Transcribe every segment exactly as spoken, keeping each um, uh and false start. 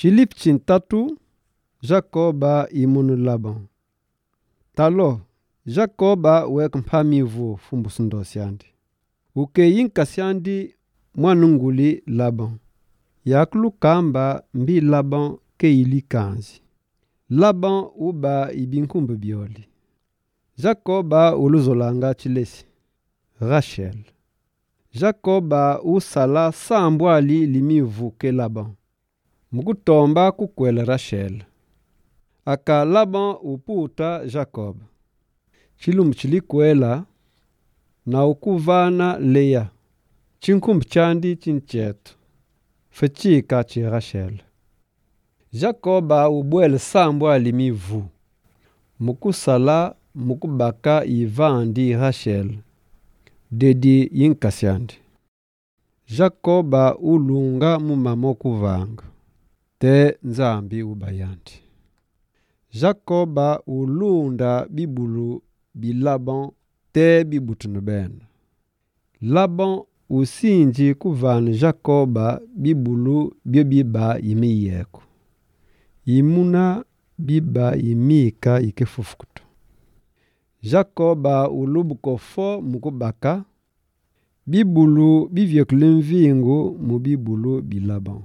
Chilip chintatu, Jacoba imunu Laban. Talo, Jacoba wek mpamivu fumbusundo siandi. Uke yinka siandi mwanunguli Laban. Yaklu kamba mbi Laban ke ili kanzi. Laban uba ibinkumbu bioli. Jacoba uluzolanga chilesi. Rachel. Jacoba usala sambwali limivu ke Laban. Mukutomba kukwela Rachel. Aka Laban uputa Jacob. Chilum chilikwela na ukuvana Leya. Chinkumbu chandi chinchetu. Fechika chi Rachel. Jacoba ubwele sambwa limivu. Mukusala mukubaka ivandi Rachel. Dedi yinkasiandi. Jacoba ulunga mumamo kuvanga. Te nzambi ubayandi. Jacoba ulunda bibulu bi Laban te bibutunu ben. Laban usinji kuvana Jacoba bibulu bio biba yimiyeko. Imuna biba yimika ikefufukutu. Jacoba ulubuko fo mukubaka bibulu bivyekulimvingu mu bibulu bi Laban.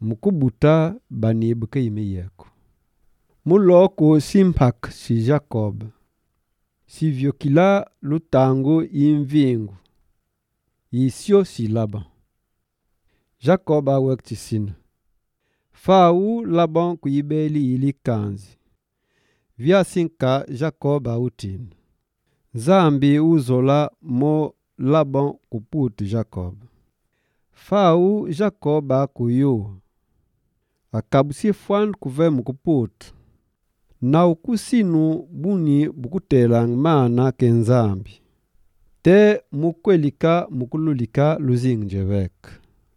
Mukubuta banibuke yimiyeko. Muloko simpak si Jacob. Si vyokila lutangu imvingu. Isio si Laban. Jacob awek tisina. Fau Laban kuibeli ili kanzi. Vya sinka Jacob autin. Zambi uzola mo Laban kuputu Jacob. Fau Jacob akuyu. Akabusi fwan kuve mukuputu. Na ukusinu buni bukutelang mana kenzambi. Te mukwelika mukululika luzingjewek.